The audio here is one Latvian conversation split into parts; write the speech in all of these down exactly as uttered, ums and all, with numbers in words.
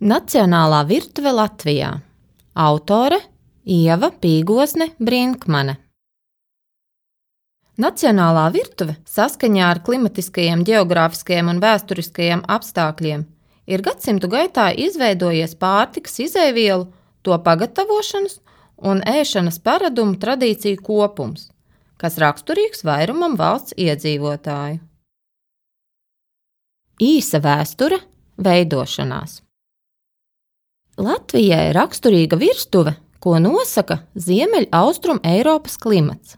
Nacionālā virtuve Latvijā. Autore Ieva Pīgosne Brinkmane. Nacionālā virtuve saskaņā ar klimatiskajiem, ģeogrāfiskajiem un vēsturiskajiem apstākļiem ir gadsimtu gaitā izveidojies pārtikas izejvielu, to pagatavošanas un ēšanas paradumu tradīciju kopums, kas raksturīgs vairumam valsts iedzīvotāju. Īsa vēsture veidošanās. Latvijai raksturīga virtuve, ko nosaka Ziemeļaustrum Eiropas klimats.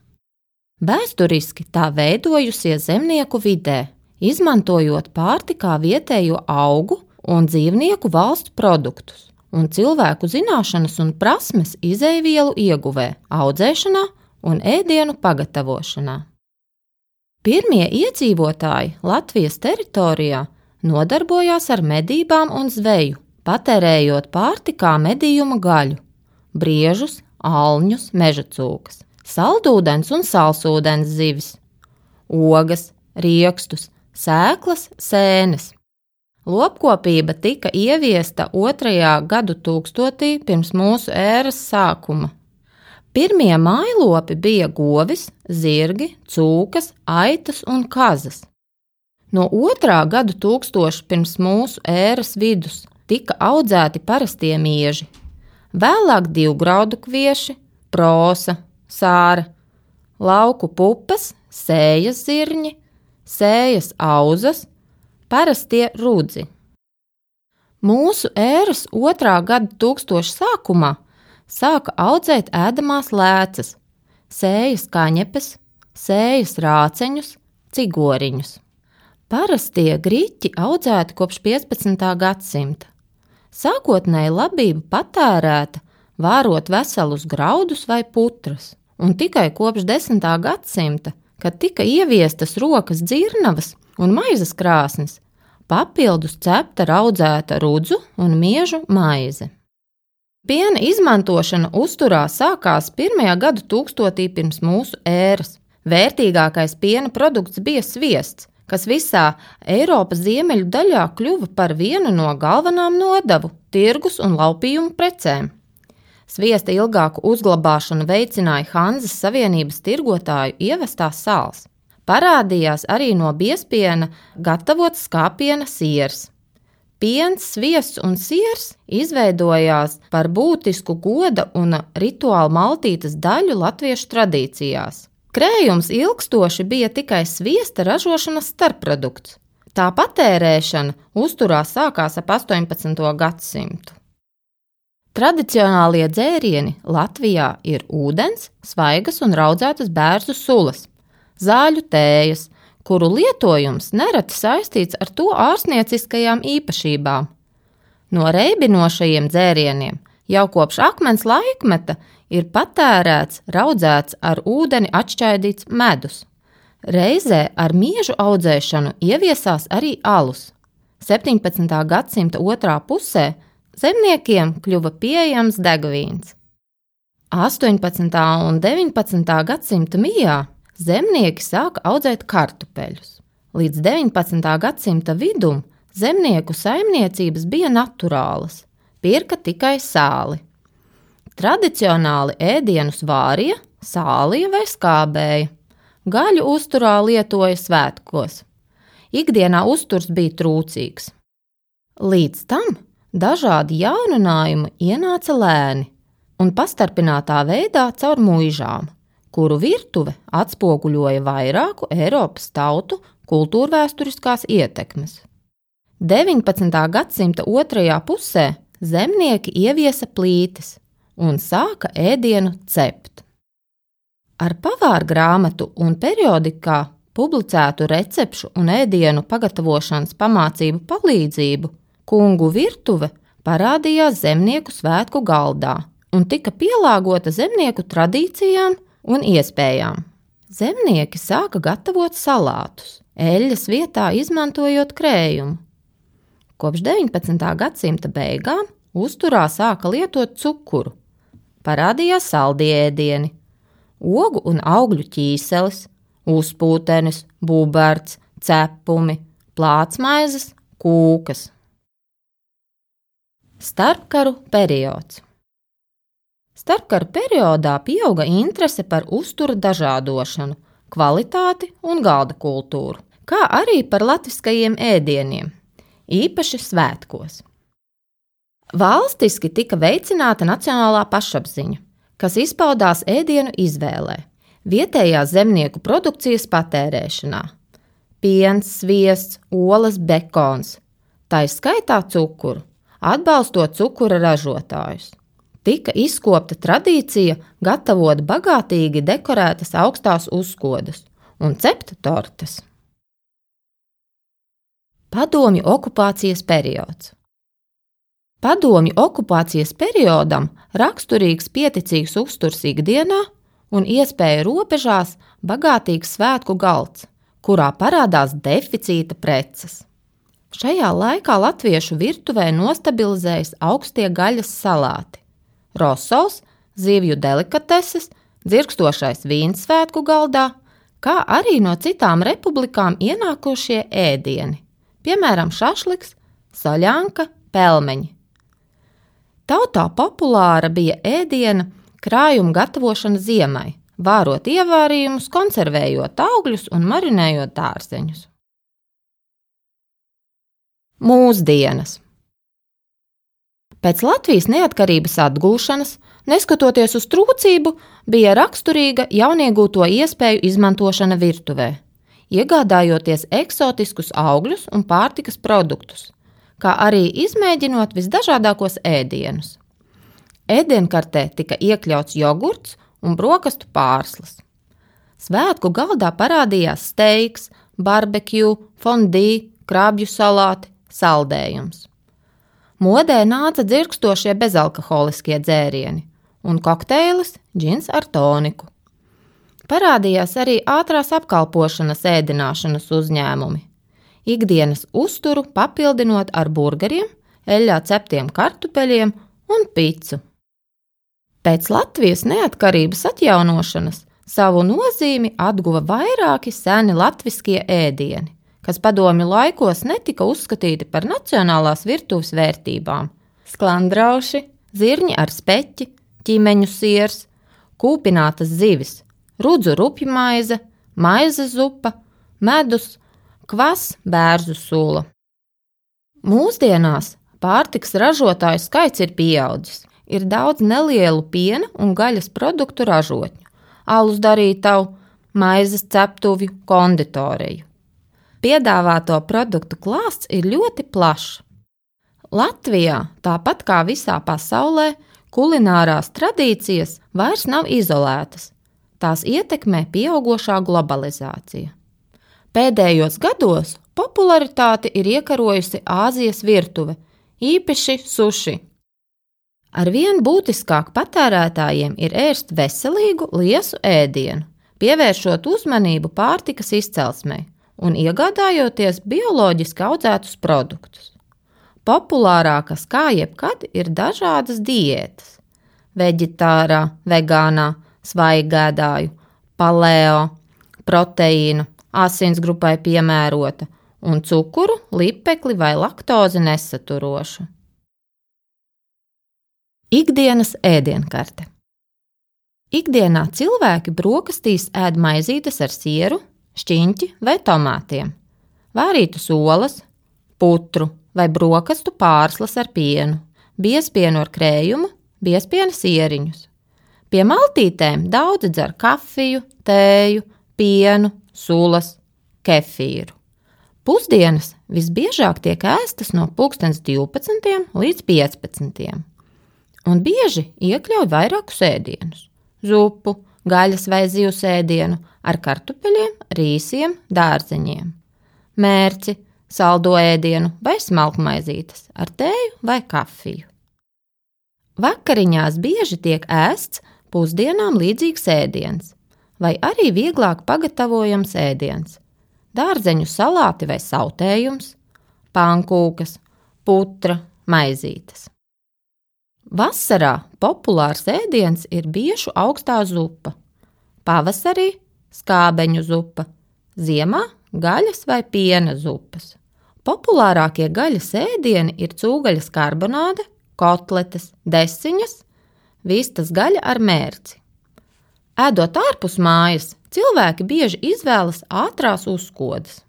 Vēsturiski tā veidojusies zemnieku vidē, izmantojot pārtikā vietējo augu un dzīvnieku valstu produktus un cilvēku zināšanas un prasmes izejvielu ieguvē, audzēšanā un ēdienu pagatavošanā. Pirmie iedzīvotāji Latvijas teritorijā nodarbojās ar medībām un zveju, patērējot pārtikā medījuma gaļu, briežus, alņus, mežacūkas, saldūdens un salsūdens zivis, ogas, riekstus, sēklas, sēnes. Lopkopība tika ieviesta otrajā gadu tūkstotī pirms mūsu ēras sākuma. Pirmie mājlopi bija govis, zirgi, cūkas, aitas un kazas. No otrā gadu tūkstoša pirms mūsu ēras vidus tika audzēti parastie mieži, vēlāk divgraudu kvieši, prosa, sāra, lauku pupas, sējas zirņi, sējas auzas, parastie rudzi. Mūsu ēras otrā gada tūkstoša sākumā sāka audzēt ēdamās lēcas, sējas kaņepes, sējas rāceņus, cigoriņus. Parastie griķi audzēti kopš piecpadsmitā gadsimta. Sākotnēji labība patērēta, vārot veselus graudus vai putras, un tikai kopš desmitā gadsimta, kad tika ieviestas rokas dzirnavas un maizes krāsnes, papildus cepta raudzēta rudzu un miežu maize. Piena izmantošana uzturā sākās pirmajā gadu tūkstotī pirms mūsu ēras. Vērtīgākais piena produkts bija sviests, kas visā Eiropas ziemeļu daļā kļuva par vienu no galvenām nodevu, tirgus un laupījumu precēm. Sviesta ilgāku uzglabāšanu veicināja Hanzas Savienības tirgotāju ievestās sāls. Parādījās arī no biezpiena gatavots skāpiena siers. Piens, sviests un siers izveidojās par būtisku goda un rituāla maltītes daļu latviešu tradīcijās. Krējums ilgstoši bija tikai sviesta ražošanas starpprodukts. Tā patērēšana uzturā sākās ap astoņpadsmito gadsimtu. Tradicionālie dzērieni Latvijā ir ūdens, svaigas un raudzētas bērzu sulas, zāļu tējas, kuru lietojums nereti saistīts ar to ārstnieciskajām īpašībām. No reibinošajiem dzērieniem jau kopš akmens laikmeta ir patērēts raudzēts ar ūdeni atšķaidīts medus. Reizē ar miežu audzēšanu ieviesās arī alus. septiņpadsmitā gadsimta otrā pusē zemniekiem kļuva pieejams degvīns. astoņpadsmitā un deviņpadsmitā gadsimta mijā zemnieki sāka audzēt kartupeļus. Līdz deviņpadsmitā gadsimta vidum zemnieku saimniecības bija naturālas, pirka tikai sāli. Tradicionāli ēdienus vārīja, sālīja vai skābēja. Gaļu uzturā lietoja svētkos. Ikdienā uzturs bija trūcīgs. Līdz tam dažādi jauninājumi ienāca lēni un pastarpinātā veidā caur muižām, kuru virtuve atspoguļoja vairāku Eiropas tautu kultūrvēsturiskās ietekmes. deviņpadsmitā gadsimta otrajā pusē zemnieki ieviesa plītis un sāka ēdienu cept. Ar pavārgrāmatu un periodikā publicētu recepšu un ēdienu pagatavošanas pamācību palīdzību kungu virtuve parādījās zemnieku svētku galdā un tika pielāgota zemnieku tradīcijām un iespējām. Zemnieki sāka gatavot salātus, eļļas vietā izmantojot krējumu. Kopš deviņpadsmitā gadsimta beigām uzturā sāka lietot cukuru. Parādījās saldie ēdieni, ogu un augļu ķīselis, uzpūtenis, buberts, cepumi, plātsmaizes, kūkas. Starpkaru periods. Starpkaru periodā pieauga interese par uztura dažādošanu, kvalitāti un galda kultūru, kā arī par latviskajiem ēdieniem, īpaši svētkos. Valstiski tika veicināta nacionālā pašapziņa, kas izpaudās ēdienu izvēlē, vietējās zemnieku produkcijas patērēšanā – piens, sviests, olas, bekons, tai skaitā cukuru, atbalstot cukura ražotājus. Tika izkopta tradīcija gatavot bagātīgi dekorētas augstās uzkodas un cept tortes. Padomju okupācijas periods. Padomju okupācijas periodam raksturīgs pieticīgs uzturs ikdienā un iespēja robežās bagātīgs svētku galds, kurā parādās deficīta preces. Šajā laikā latviešu virtuvē nostabilizējas augstie gaļas salāti, rosols, zivju delikateses, dzirkstošais vīns svētku galdā, kā arī no citām republikām ienākošie ēdieni, piemēram šašliks, saļanka, pelmeņi. Tautā populāra bija ēdiena krājuma gatavošana ziemai, vārot ievārījumus, konservējot augļus un marinējot dārzeņus. Mūsdienas. Pēc Latvijas neatkarības atgūšanas, neskatoties uz trūcību, bija raksturīga jauniegūto iespēju izmantošana virtuvē, iegādājoties eksotiskus augļus un pārtikas produktus, kā arī izmēģinot visdažādākos ēdienus. Ēdienkartē tika iekļauts jogurts un brokastu pārslas. Svētku galdā parādījās steiks, barbekju, fondī, krabju salāti, saldējums. Modē nāca dzirkstošie bezalkoholiskie dzērieni un kokteilis džins ar toniku. Parādījās arī ātrās apkalpošanas ēdināšanas uzņēmumi, ikdienas uzturu papildinot ar burgeriem, eļļā ceptiem kartupeļiem un picu. Pēc Latvijas neatkarības atjaunošanas savu nozīmi atguva vairāki seni latviskie ēdieni, kas padomju laikos netika uzskatīti par nacionālās virtuves vērtībām – sklandrauši, zirņi ar speķi, ķimeņu siers, kūpinātas zivis, rudzu rupju maize, maize zupa, medus, kvas, bērzu sula. Mūsdienās pārtikas ražotāju skaits ir pieaudzis. Ir daudz nelielu piena un gaļas produktu ražotņu, alus darītavu, maizes ceptuvju, konditoriju. Piedāvāto produktu klāsts ir ļoti plašs. Latvijā, tāpat kā visā pasaulē, kulinārās tradīcijas vairs nav izolētas. Tās ietekmē pieaugošā globalizācija. Pēdējos gados popularitāti ir iekarojusi Āzijas virtuve, īpaši suši. Arvien būtiskāk patērētājiem ir ēst veselīgu, liesu ēdienu, pievēršot uzmanību pārtikas izcelsmei un iegādājoties bioloģiski audzētus produktus. Populārākas kā jebkad ir dažādas diētas – veģetārā, vegānā, svaigēdāju, paleo, proteīnu, asinsgrupai piemērota un cukuru, lipekli vai laktozi nesaturošu. Ikdienas ēdienkarte. Ikdienā cilvēki brokastīs ēd maizītes ar sieru, šķiņķi vai tomātiem, vārītas olas, putru vai brokastu pārslas ar pienu, biezpienu ar krējumu, biezpiena sieriņus. Pie maltītēm daudzi dzer kafiju, tēju, pienu, sulas, kefīru. Pusdienas visbiežāk tiek ēstas no pulkstens divpadsmitiem līdz piecpadsmitiem. Un bieži iekļauj vairākus ēdienus – zupu, gaļas vai zivs ēdienu ar kartupeļiem, rīsiem, dārzeņiem, mērci, saldo ēdienu vai smalkmaizītes ar tēju vai kafiju. Vakariņās bieži tiek ēsts pusdienām līdzīgs ēdiens vai arī vieglāk pagatavojams ēdiens – dārzeņu salāti vai sautējums, pankūkas, putra, maizītes. Vasarā populārs ēdiens ir biešu augstā zupa, pavasarī skābeņu zupa, ziemā gaļas vai piena zupas. Populārākie gaļas ēdieni ir cūgaļas karbonāde, kotletes, desiņas, vistas gaļa ar mērci. Ēdot ārpus mājas, cilvēki bieži izvēlas ātrās uzkodas.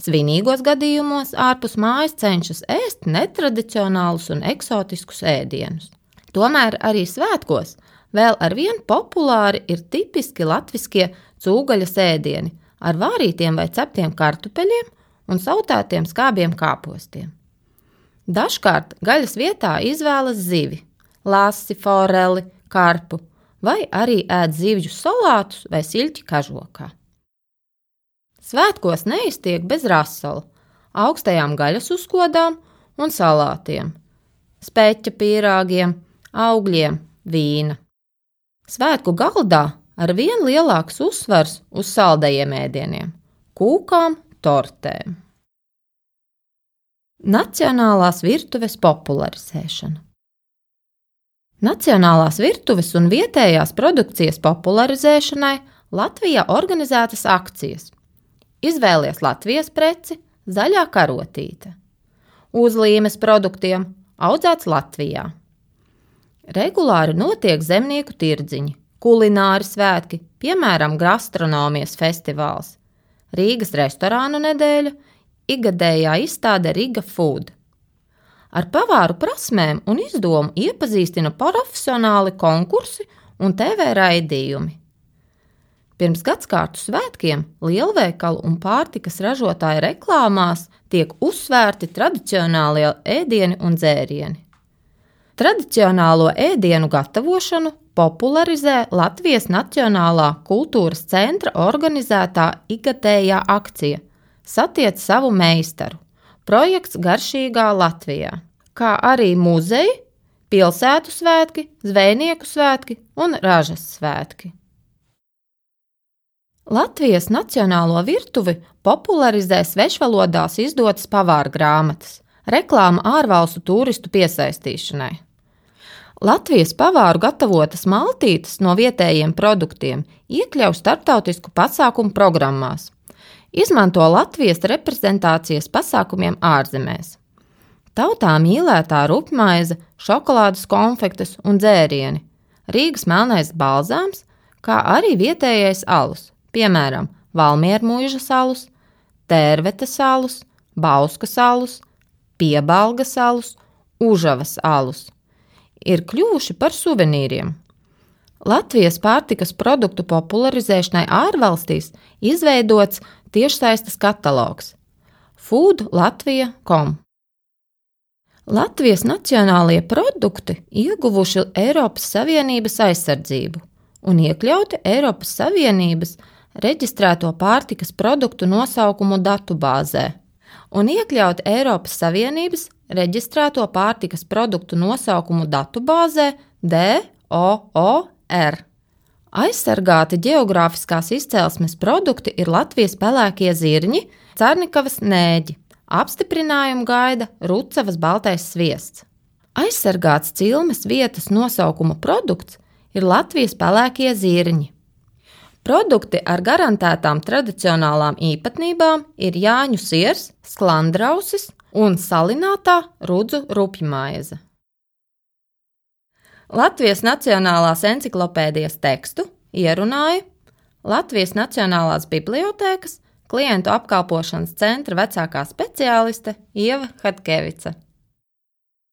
Svinīgos gadījumos ārpus mājas cenšas ēst netradicionālus un eksotiskus ēdienus. Tomēr arī svētkos vēl arvien populāri ir tipiski latviskie cūgaļas ēdieni ar vārītiem vai ceptiem kartupeļiem un sautētiem skābiem kāpostiem. Dažkārt gaļas vietā izvēlas zivi, lasi, foreli, karpu, vai arī ēd zivju salātus vai siļķi kažokā. Svētkos neiztiek bez rasala, augstajām gaļas uzkodām un salātiem, speķa pīrāgiem, augļiem, vīna. Svētku galdā arvien lielāks uzsvars uz saldajiem ēdieniem, kūkām, tortēm. Nacionālās virtuves popularizēšana. Nacionālās virtuves un vietējās produkcijas popularizēšanai Latvijā organizētas akcijas. Izvēlies Latvijas preci, zaļā karotīte. Uzlīmes produktiem, audzēts Latvijā. Regulāri notiek zemnieku tirdziņi, kulināri svētki, piemēram, gastronomijas festivāls, Rīgas restorānu nedēļa, ikgadējā izstāde Riga Food. Ar pavāru prasmēm un izdomu iepazīstina profesionāli konkursi un T V raidījumi. Pirms gadskārtu svētkiem lielveikalu un pārtikas ražotāju reklāmās tiek uzsvērti tradicionālie ēdieni un dzērieni. Tradicionālo ēdienu gatavošanu popularizē Latvijas Nacionālā kultūras centra organizētā ikgadējā akcija Satiec savu meistaru, projekts Garšīgā Latvijā, kā arī muzeji, pilsētu svētki, zvejnieku svētki un ražas svētki. Latvijas nacionālo virtuvi popularizē svešvalodās izdotas pavāra grāmatas, reklāma ārvalstu turistu piesaistīšanai. Latvijas pavāru gatavotas maltītes no vietējiem produktiem iekļauj starptautisku pasākumu programmās, izmanto Latvijas reprezentācijas pasākumiem ārzemēs. Tautā mīlētā rupjmaize, šokolādes konfektes un dzērieni, Rīgas melnais balzāms, kā arī vietējais alus, piemēram, Valmiermuižas alus, Tērvetes alus, Bauskas alus, Piebalgas alus, Užavas alus, ir kļuvuši par suvenīriem. Latvijas pārtikas produktu popularizēšanai ārvalstīs izveidots tiešsaistes katalogs food latvija punkt com. Latvijas nacionālie produkti ieguvuši Eiropas Savienības aizsardzību un iekļauti Eiropas Savienības reģistrēto pārtikas produktu nosaukumu datubāzē un iekļauti Eiropas Savienības reģistrēto pārtikas produktu nosaukumu datubāzē D O O R. Aizsargāti ģeogrāfiskās izcelsmes produkti ir Latvijas pelēkie zirņi, Carnikavas nēģi, apstiprinājumu gaida Rucavas baltais sviests. Aizsargāts cilmes vietas nosaukuma produkts ir Latvijas pelēkie zirņi. Produkti ar garantētām tradicionālām īpatnībām ir jāņu siers, sklandrausis un salinātā rudzu rupjmaize. Latvijas Nacionālās enciklopēdijas tekstu ierunāja Latvijas Nacionālās bibliotēkas klientu apkalpošanas centra vecākā speciāliste Ieva Hatkevica.